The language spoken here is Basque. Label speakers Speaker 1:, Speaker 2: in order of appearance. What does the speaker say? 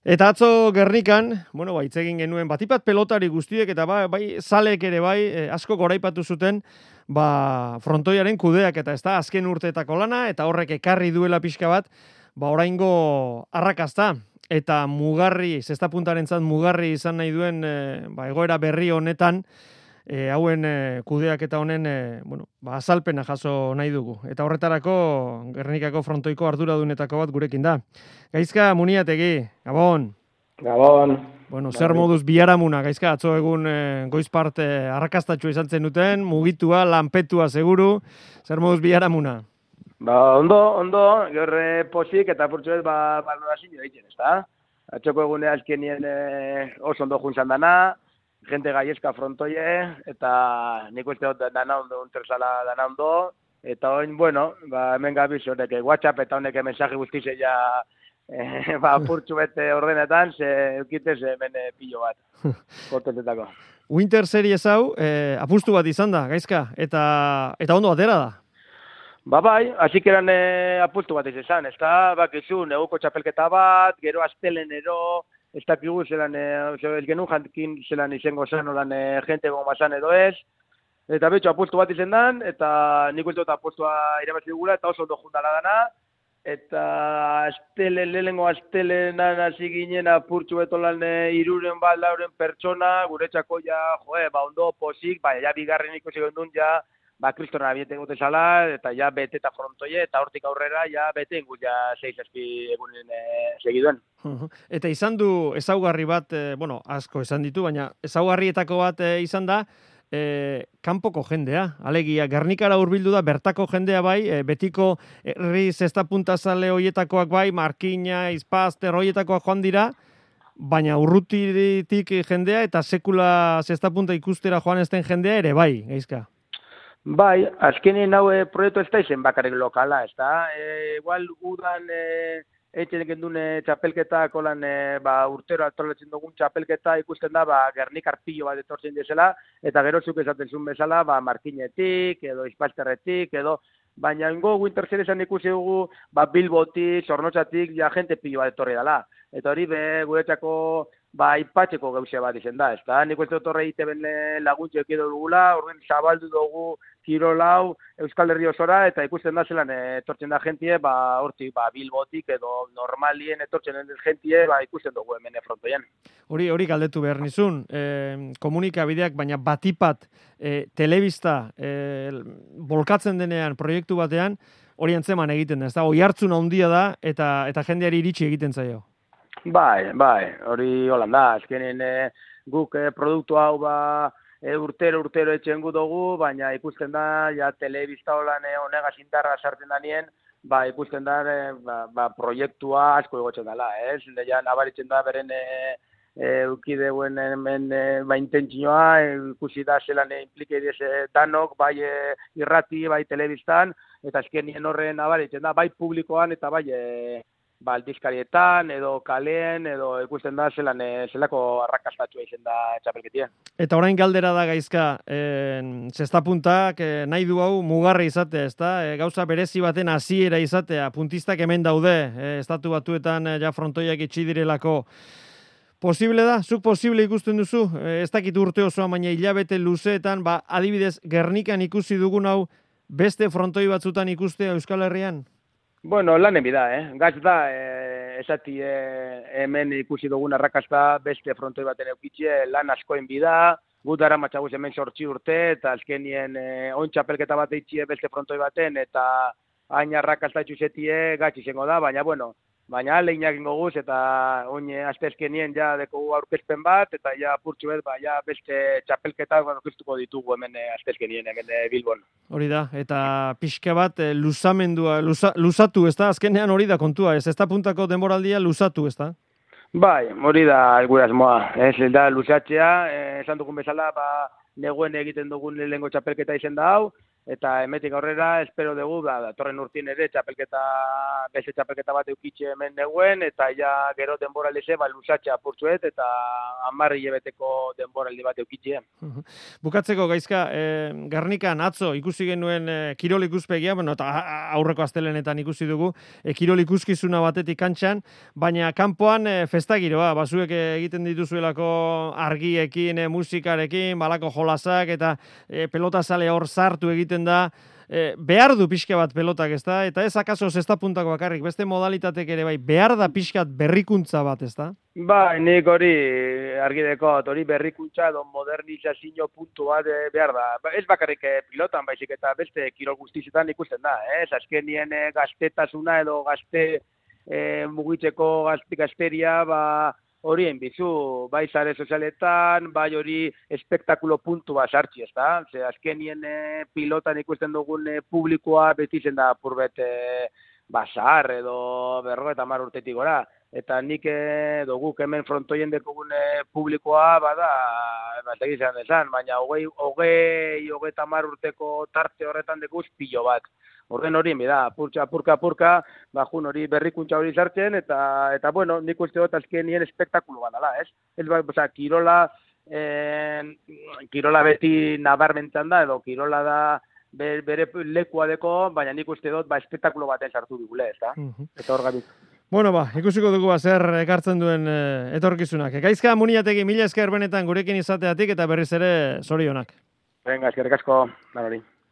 Speaker 1: Eta atzo Gernikan, hitz egin genuen batipat pelotari guztiek eta bai zalek ere asko goraipatu zuten, frontoiaren kudeak eta ezta azken urteetako lana eta horrek ekarri duela pixka bat, oraingo arrakasta eta mugarri, zestapuntarentzat mugarri izan nahi duen egoera berri honetan, hauen kudeak eta honen azalpena jaso nahi dugu. Eta horretarako Gernikako frontoiko arduradunetako bat gurekin da. Gaizka Muniategi, Gabon.
Speaker 2: Gabon.
Speaker 1: Zer moduz biharamuna, Gaizka, atzo egun goiz parte arrakastatxua izan zenuten, mugitua, lanpetua seguru, zer moduz biharamuna?
Speaker 2: Ondo, gerre posik eta purtsuet balorazio egiten, ezta? Atxoko egunea azkenien oso ondo juntzan dana, gente gaiezka frontoie, eta nik uste dut dana ondo, untersala dana ondo, eta oin, hemen gabiz horrek, WhatsApp eta honek mensaje guztize ja purtsu bete ordenetan, ze eukitez hemen pilo bat, kontentetako.
Speaker 1: Winter Series hau, apustu bat izan da, Gaizka, eta ondo atera da.
Speaker 2: Bai, hasik eran apustu bat izan, ez da, bakizu, neguko txapelketa bat, gero astelenero, ez dakigu zelan, ez genuen jantin zelan izango zen, olan jente gomazan edo ez, eta betxo apustu bat izan dan, eta nik uste dut apustua irabazi dugula, eta oso ondo juntala dana, eta lehenengo astelenan hasi ginen apurtxu betolan 300-400 pertsona, guretzako ja, ondo posik, ja bigarren ikusi gendun ja, kristona bieten gute zala, eta ja bete eta frontoie, eta hortik aurrera, ja bete ingut ja 6-7 egunen segiduen.
Speaker 1: Eta izan du ezaugarri bat, asko esan ditu, baina ezaugarrietako bat izan da, kanpoko jendea, alegia, Gernikara hurbildu da, bertako jendea bai, betiko herri zestapuntazale hoietakoak bai, Markina, Izpazter hoietakoak joan dira, baina urrutitik jendea eta sekula zestapunta ikustera joan ezten jendea ere bai, Gaizka.
Speaker 2: Bai, azkenin hau proiektu ez da izen bakarrik lokala, ez da? Igual udan etxen gendun txapelketa, kolan urtero atolatzen dugun txapelketa ikusten da, Gernikar pilo bat etortzen dizela, eta gero zuk esaten zuen bezala, Markinetik, edo Izpazterretik, edo baina ingo Winter Seriesan ikusi dugu, Bilbotik, Zornotzatik, ja jente pilo bat etorri dela. Eta hori guretzako ipatzeko gauze bat izen da, ez da? Nik uste dut horre iteben laguntxo ekido dugula, horren zabaldu dugu Kirolau, Euskal Herri osora, eta ikusten da zelan etortzen da jentie, hortik Bilbotik edo normalien etortzen den jentie, ikusten dugu hemen frontoien.
Speaker 1: Hori galdetu behar nizun, komunikabideak, baina batipat telebista bolkatzen denean proiektu batean, hori antzeman egiten da, ez da? Oihartzun handia da eta jendeari iritsi egiten zaio.
Speaker 2: Bai, hori holan da, azkenen guk produktu hau urtero etxen gu dugu, baina ikusten da, ja telebista holan honegaz indarra sartzen danien, ikusten da, proiektua asko egotzen dela, ez? Ja nabaritzen da beren eukideuen hemen intentzioa, ikusi da zelan implikeidiz danok, bai irrati, bai telebistan, eta azkenien horren nabaritzen da, bai publikoan eta bai aldizkarietan, edo kaleen, edo ikusten da zelako arrakastatua izen da txapelketien.
Speaker 1: Eta orain galdera da, Gaizka, zestapuntak nahi du hau mugarri izatea, ezta? Gauza berezi baten hasiera izatea, puntistak hemen daude, estatu batuetan ja frontoiak itxi direlako. Posible da? Zuk posible ikusten duzu? Ez dakit urte osoa, baina hilabete luzeetan, adibidez, Gernikan ikusi dugun hau, beste frontoi batzutan ikustea Euskal Herrian?
Speaker 2: Lanen bida, Gaz da, esati hemen ikusi dugun arrakasta beste frontoi baten eukitxe, lan askoen bida, gu dara matxaguz hemen 8 urte, eta azkenien oin txapelketa bat eitxie beste frontoi baten, eta hain arrakasta etxuzetie gatz izango da, baina lehinak ingo guz, eta oin aztezkenien ja deko aurkezpen bat, eta ja purtsu ja beste txapelketak aurkeztuko ditugu hemen aztezkenien, hemen Bilbon.
Speaker 1: Hori da, eta pixka bat luzamendua, luzatu, ez da? Azkenean hori da kontua, ez da puntako denboraldia luzatu, ez da?
Speaker 2: Bai, hori da gure asmoa, ez da luzatzea, esan dugun bezala, neguen egiten dugun lehengo txapelketa izen da hau, eta emetik aurrera espero dugu datorren urtien ere beste txapelketa bat eukitxe hemen neguen, eta ja gero denboraldize luzatxe apurtzuet, eta 10 hilabeteko denboraldi bat eukitxe.
Speaker 1: Bukatzeko Gaizka, Gernikan atzo ikusi genuen kirol ikuspegia, bueno, eta aurreko astelenetan ikusi dugu, kirol ikuskizuna batetik kantxan, baina kanpoan festagiroa, basuek egiten dituzuelako argiekin, musikarekin, balako jolasak, eta pelota sale hor sartu egiten da, behar du pixka bat pelotak, ezta? Eta ez akaso zesta puntako bakarrik, beste modalitatek ere bai, behar da pixkat berrikuntza bat, ezta?
Speaker 2: Ba, nik hori argi dekot, hori berrikuntza edo modernizazio puntu bat behar da. Ez bakarrik pilotan, baizik eta beste kirol guztizetan ikusten da, ez? Azkenien gaztetasuna edo gazte mugitzeko gazteria, horien bizu, bai sare sozialetan, bai hori espektakulo puntu bat sartzi, ez da? Ze azkenien pilotan ikusten dugun publikoa beti zen da purbet basar edo 50 urtetik gora. Eta nik guk hemen frontoien dekogun publikoa bada, egizan desan, baina 20-30 urteko tarte horretan dekuz pilo bat. Orden horien bida, apurka, jun hori berrikuntza hori sartzen, eta bueno, nik uste dut azkenien espektakulu bat dela, ez? Kirola beti nabarmentzen da, edo kirola da bere lekua deko, baina nik uste dut espektakulo baten sartu digule, ez da? Eta hor gabit.
Speaker 1: Bueno, ikusiko dugu zer ekartzen duen etorkizunak. Gaizka Muniategi, mila esker benetan gurekin izateatik eta berriz ere zorionak.
Speaker 2: Venga, eskerrik asko, hori.